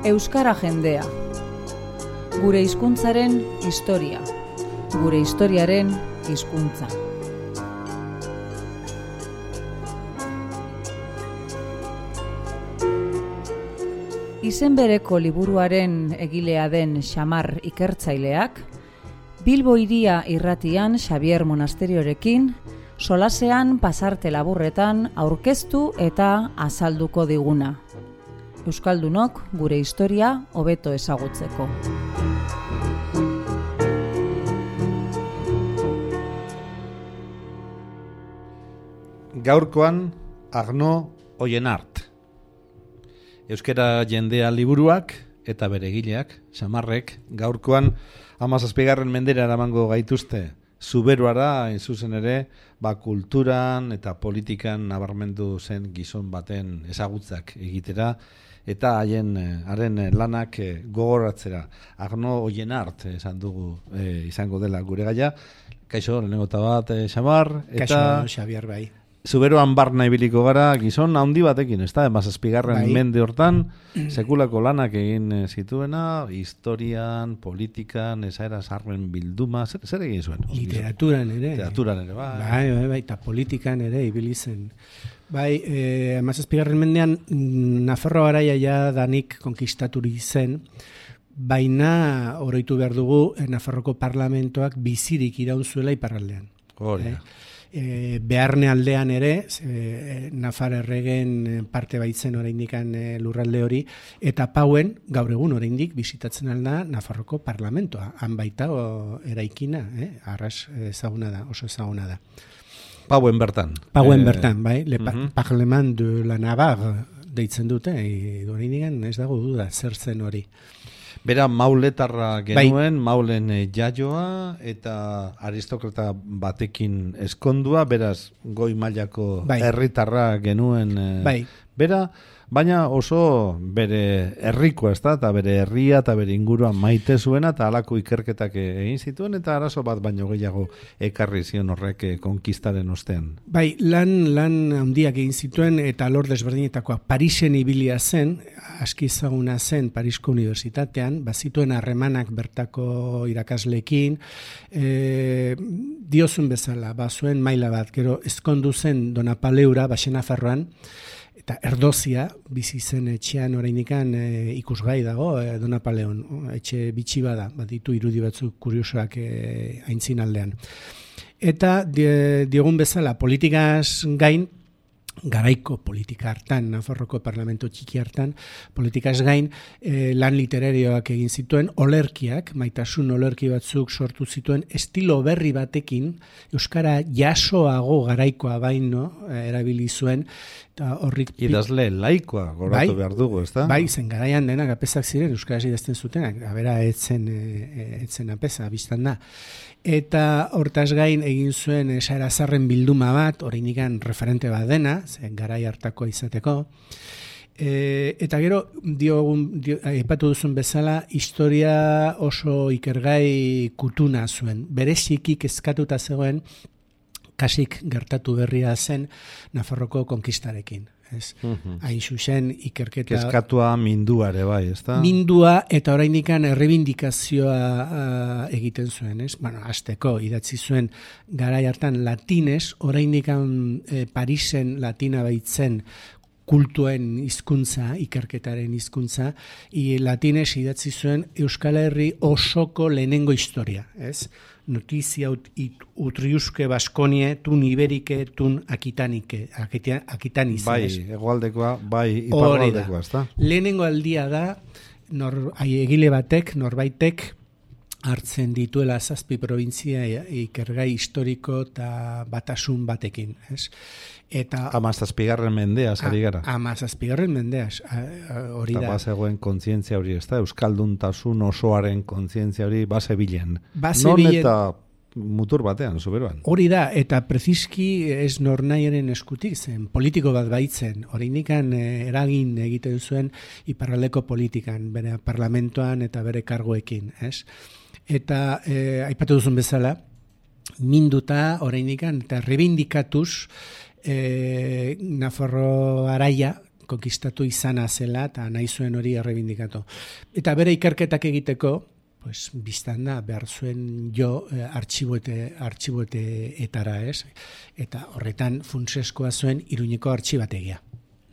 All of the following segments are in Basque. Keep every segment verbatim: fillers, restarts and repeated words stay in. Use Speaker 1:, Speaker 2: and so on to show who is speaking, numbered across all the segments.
Speaker 1: Euskara jendea. Gure hizkuntzaren historia. Gure historiaren hizkuntza. Izen bereko liburuaren egilea den Xamar ikertzaileak, Bilbo hiria irratian Xabier Monasteriorekin, solasean pasarte laburretan aurkeztu eta azalduko diguna. Euskaldunok gure historia hobeto ezagutzeko.
Speaker 2: Gaurkoan Arno Oienart. Euskara jendea liburuak eta bere egileak, Xamarrek, gaurkoan hamazazpigarren mendera eramango gaituzte. Zuberoara, in zuzen ere, ba, kulturan eta politikan nabarmendu zen gizon baten ezagutzak egitera, eta haien haren lanak gogoratzera. Arno Oienart esan dugu e, izango dela gure gaia. Kaixo, lehenengo eta bat, e, Xamar.
Speaker 3: Kaixo, Xabier, bai.
Speaker 2: Zuberoan barna ibiliko gara, gizon handi batekin, ez da, emazazpigarren bai. Mende hortan, sekulako lanak egin zituena, historian, politikan, esaera sarren bilduma, zer, zer egin zuen?
Speaker 3: Literaturan ere.
Speaker 2: Literaturan ere, bai.
Speaker 3: Bai, bai, bai, eta politikan ere ibili zen. Bai, eh, emazazpigarren mendean, Nafarro garaia ja danik konkistaturik zen, baina oroitu behar dugu Nafarroko parlamentoak bizirik iraun zuela iparraldean.
Speaker 2: Hori.
Speaker 3: Eh? E, beharne aldean ere, e, Nafar erregen parte baitzen oraindikan e, lurralde hori, eta pauen gaur egun oraindik bisitatzen alda Nafarroko parlamentoa, han baita o, eraikina, eh? Arras ezaguna da, oso ezaguna da.
Speaker 2: Pauen bertan.
Speaker 3: Pauen
Speaker 2: eh,
Speaker 3: bertan, bai, le pa,
Speaker 2: uh-huh.
Speaker 3: Parlement de la Navarre deitzen dute, e, oraindikan ez dago duda zer zen hori.
Speaker 2: Bera mauletarra genuen,
Speaker 3: bai.
Speaker 2: Maulen e, jaioa eta aristokrata batekin eskondua, beraz goi mailako
Speaker 3: bai.
Speaker 2: herritarra genuen. E,
Speaker 3: bai.
Speaker 2: Bera, baina oso bere herrikoa, ez da, eta bere herria eta bere ingurua maite zuena, eta halako ikerketak egin zituen, eta arazo bat baino gehiago ekarri zion horrek konkistaren ostean.
Speaker 3: Bai, lan lan handiak egin zituen, eta alor desberdinetakoak. Parisen ibilia zen, aski ezaguna zen Parisko Unibertsitatean, bazituen harremanak bertako irakasleekin, e, diozun bezala, bazuen maila bat, gero ezkondu zen Donapaleura, Baxenafarroan, eta erdozia, bizi zen etxean oraindikan e, ikusgai dago, e, Donapaleon, etxe bitxi bada, baditu irudi batzuk kuriosoak e, aintzin aldean. Eta diogun bezala, politikaz gain, garaiko politika hartan, Nafarroko parlamento txiki hartan, politikaz gain, eh, lan literarioak egin zituen, olerkiak, maitasun olerki batzuk sortu zituen, estilo berri batekin, euskara jasoago garaikoa baino, eh, erabili zuen, eta horrik...
Speaker 2: Idazle laikoa, goratu bai, behar dugu, ez da?
Speaker 3: Bai, zen garaian denak apezak ziren, euskaraz idazten zutenak, abera etzen, e, etzen apeza, biztan da. Eta hortaz gain egin zuen esaera zarren bilduma bat, oraindikan referente bat dena, zen garai hartakoa izateko. E, eta gero, diogun, dio, aipatu duzun bezala, historia oso ikergai kutuna zuen. Bereziki kezkatuta zegoen, kasik gertatu berria zen Nafarroko konkistarekin. Ez? Uh-huh. Hain zuzen ikerketa...
Speaker 2: Kezkatua mindua ere bai, ez da?
Speaker 3: Mindua eta oraindikan errebindikazioa uh, egiten zuen, ez? Bueno, azteko idatzi zuen garai hartan latinez, oraindikan eh, Parisen latina baitzen kultuen hizkuntza, ikerketaren hizkuntza, i latinez idatzi zuen Euskal Herri osoko lehenengo historia, ez? Notizia ut, it, utriuske baskonie, tun iberike, tun akitanike, akitaniz.
Speaker 2: Bai, egoaldekoa, bai, iparraldekoa, ez da?
Speaker 3: Lehenengo aldia da, nor, egile batek, norbaitek, hartzen dituela zazpi provintzia ikergai historiko eta batasun batekin, ez? Eta
Speaker 2: hamazazpigarren mendeaz ari gara.
Speaker 3: Hamazazpigarren mendeaz, hori da.
Speaker 2: Eta bazegoen kontzientzia hori, ez da? Euskalduntasun osoaren kontzientzia hori base bilen.
Speaker 3: Base
Speaker 2: non
Speaker 3: bilen...
Speaker 2: eta mutur batean, Zuberoan.
Speaker 3: Hori da, eta preziski ez nornaiaren eskutik zen, politiko bat baitzen, oraindikan eragin egiten zuen iparraldeko politikan, bere parlamentoan eta bere kargoekin, ez? Eta eh, aipatu duzun bezala, minduta oraindikan eta rebindikatuz eh, Nafarro araia konkistatu izana zela, eta nahi zuen hori errebindikatu. Eta bere ikerketak egiteko, pues, biztan da, behar zuen jo eh, artxiboete, artxiboeteetara, ez? Eta horretan funtseskoa zuen Iruñeko artxibategia.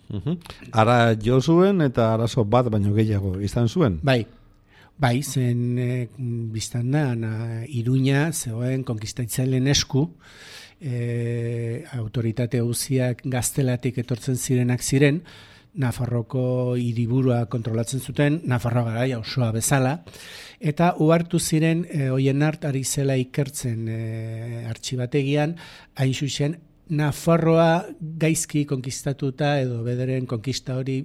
Speaker 2: Uh-huh. Ara jo zuen eta arazo bat baino gehiago izan zuen?
Speaker 3: Bai, bai, zen e, biztan da, na, Iruña zegoen konkistatzaileen esku, e, autoritate guztiak gaztelatik etortzen zirenak ziren, Nafarroko hiriburua kontrolatzen zuten, Nafarroa garaia osoa bezala, eta uhartu ziren e, Oienart ari zela ikertzen e, artxibategian, hain zuzen, Nafarroa gaizki konkistatuta edo bederen konkista hori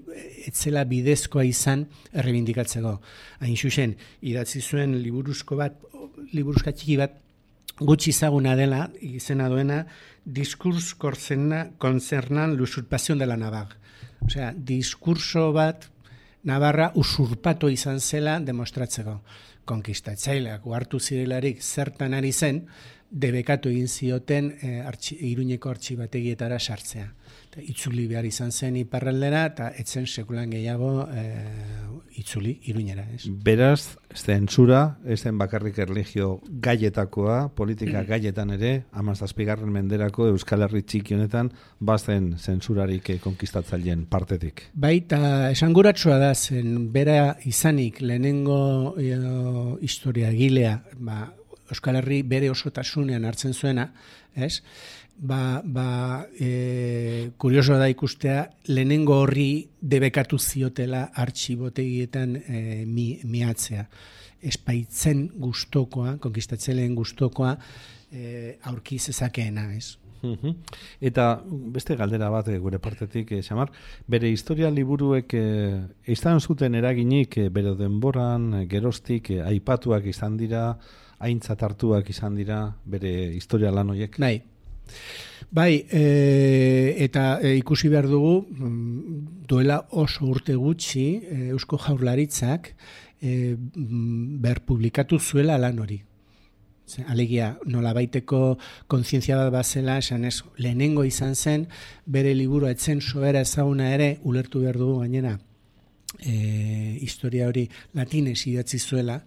Speaker 3: etzela bidezkoa izan errebindikatzeko. Hain zuzen, idatzi zuen liburuzko bat, liburuzka txiki bat, gutxi ezaguna dela, izena duena, Discurs concernan l'usurpación de la Navarra. Osea, diskurso bat Navarra usurpatu izan zela demostratzeko. Konkistatzaileak uhartu zirelarik zertan ari zen, debekatu egin zioten e, artxi, Iruñeko artxibategietara sartzea. Eta itzuli behar izan zen iparraldera, eta etzen sekulan gehiago e, itzuli Iruñera. Ez?
Speaker 2: Beraz, zentsura, ez den bakarrik erlijio gaietakoa, politika gaietan ere, hamazazpigarren menderako Euskal Herri txiki honetan, bazen zentsurarik konkistatzaileen partetik.
Speaker 3: Baita, esanguratsua da, zen bera izanik lehenengo e, historia gilea, ba, Euskal Herri bere osotasunean hartzen zuena, ez? Ba, ba e, kuriosoa da ikustea, lehenengo horri debekatu ziotela artxibotegietan e, mi, miatzea. Espaitzen gustokoa, konkistatzaileen gustokoa, e, aurki zezakeena, ez?
Speaker 2: Uh-huh. Eta beste galdera bat gure partetik, eh, Xamar, bere historia liburuek eh, izan zuten eraginik eh, bere denboran, eh, geroztik, eh, aipatuak izan dira, aintzat hartuak izan dira bere historia lan horiek?
Speaker 3: Bai, bai e, eta e, ikusi behar dugu, duela oso urte gutxi, e, Eusko Jaurlaritzak e, ber publikatu zuela lan hori. Alegia, nolabaiteko kontzientzia bat bazela, esan ez, lehenengo izan zen, bere liburu etzen sobera ezaguna ere, ulertu behar dugu gainera, e, historia hori latinez idatzi zuela,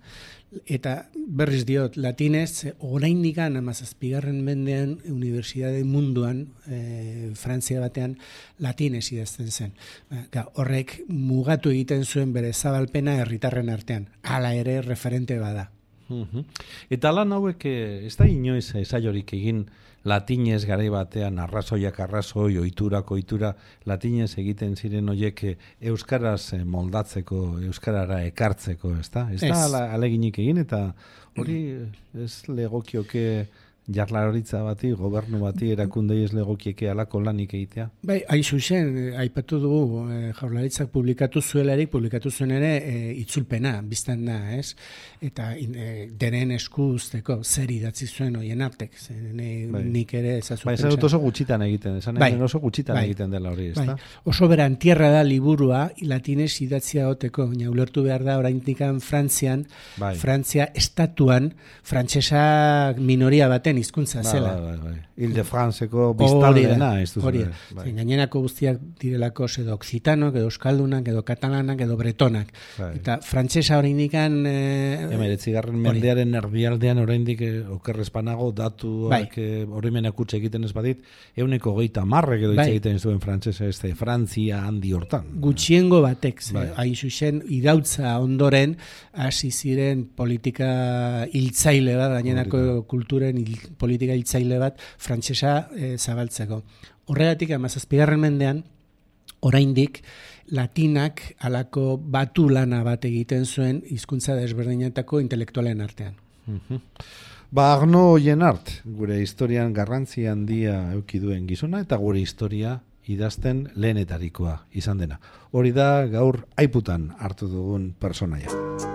Speaker 3: eta berriz diot, latinez, oraindik hamazazpigarren mendean, unibertsitate munduan, e, Frantzia batean, latinez idazten zen. Ga, horrek mugatu egiten zuen bere zabalpena herritarren artean. Hala ere referente bada.
Speaker 2: Uh-huh. Eta lan hauek ez da inoiz esaiorik egin latinez garai batean arrazoiak arrazoi, oiturak oitura, latinez egiten ziren horiek euskaraz moldatzeko, euskarara ekartzeko, ez da? Ez da aleginik egin eta hori ez legokioke jarlaritza bati, gobernu bati, erakundei ez legokieke alako lanik egitea? Bai,
Speaker 3: hain zuzen, aipatu dugu, e, Jaurlaritzak publikatu zuelarik, publikatu zuen ere e, itzulpena, biztan da, ez? Eta e, denen esku usteko zer idatzi zuen Oienartek, ne, bai. Nik ere ezazu
Speaker 2: bai,
Speaker 3: pentsa.
Speaker 2: Bai, oso gutxitan egiten, esan bai. Oso gutxitan bai. Egiten dela hori, ez da?
Speaker 3: Bai. Oso beran tierra da liburua, latinez idatzia goteko, baina ulertu behar da, oraindikan Frantzian, bai. Frantzia estatuan, frantsesa minoria baten hizkuntza zela.
Speaker 2: Bai, bai, bai. Ile-de-Franceko biztanleena, ez duzu.
Speaker 3: Hori da. Bai. Gainerako guztiak direlako edo oksitanok, edo euskaldunak, edo katalanak, edo bretonak. Bai. Eta frantsesa oraindikan eh
Speaker 2: hemeretzigarren mendearen erdialdean oraindik eh, okerrezpanago datuak oroimenak utzi egiten ez badit, ehuneko hogeita hamar edo hitz egiten zuen frantsesa ez da Frantzia handi hortan.
Speaker 3: Gutxiengo batek, bai. Hain zuzen irautza ondoren hasi ziren politika hiltzaile bat, gainerako kulturen hil, politika hiltzaile bat frantsesa e, zabaltzeko. Horregatik hamazazpigarren mendean oraindik latinak halako batu lana bat egiten zuen hizkuntza desberdinetako intelektualen artean.
Speaker 2: Uh-huh. Ba, Arno Oienart, gure historian garrantzi handia eduki duen gizona eta gure historia idazten lehenetarikoa izan dena. Hori da gaur aiputan hartu dugun personaia.